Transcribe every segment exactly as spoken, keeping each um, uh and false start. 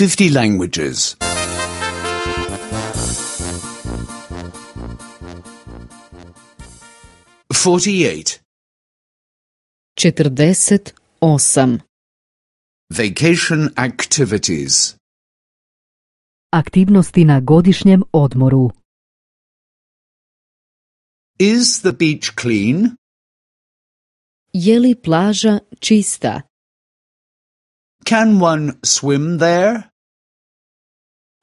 fifty languages. forty-eight. četrdeset osam. Vacation activities. Aktivnosti na godišnjem odmoru. Is the beach clean? Je li plaža čista? Can one swim there?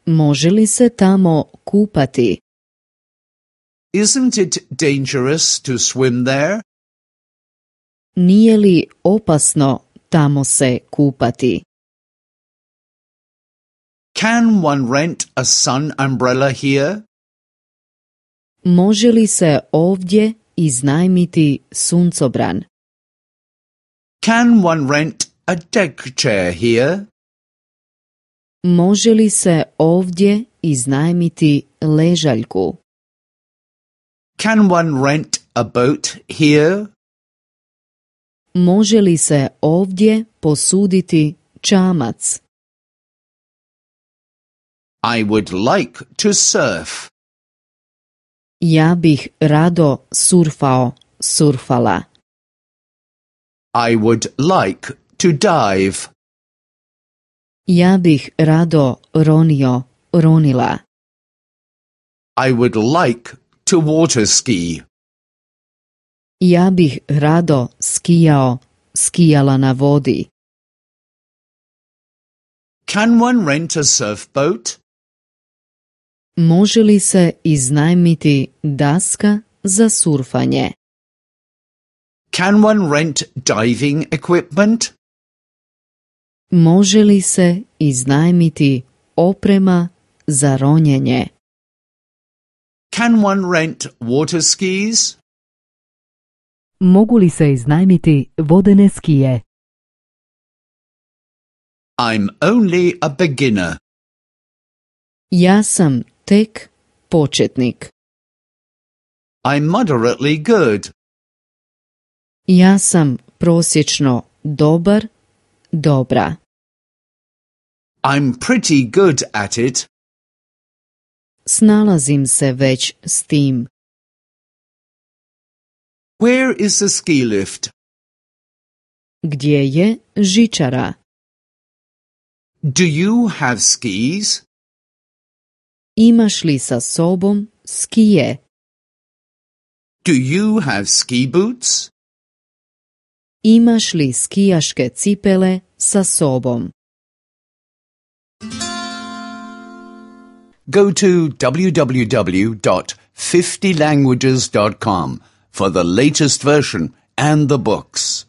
Može li se tamo kupati? Isn't it dangerous to swim there? Nije li opasno tamo se kupati? Can one rent a sun umbrella here? Može li se ovdje iznajmiti suncobran? Can one rent a deck chair here? Može li se ovdje iznajmiti ležaljku? Can one rent a boat here? Može li se ovdje posuditi čamac? I would like to surf. Ja bih rado surfao, surfala. I would like to dive. Ja bih rado ronio, ronila. I would like to water ski. Ja bih rado skijao, skijala na vodi. Can one rent a surf boat? Može li se iznajmiti daska za surfanje? Can one rent diving equipment? Može li se iznajmiti oprema za ronjenje? Can one rent water skis? Mogu li se iznajmiti vodene skije? I'm only a beginner. Ja sam tek početnik. I'm moderately good. Ja sam prosječno dobar, dobra. I'm pretty good at it. Snalazim se već s tim. Where is the ski lift? Gdje je žičara? Do you have skis? Imaš li sa sobom skije? Do you have ski boots? Imaš li skijaške cipele sa sobom? Go to w w w dot fifty languages dot com for the latest version and the books.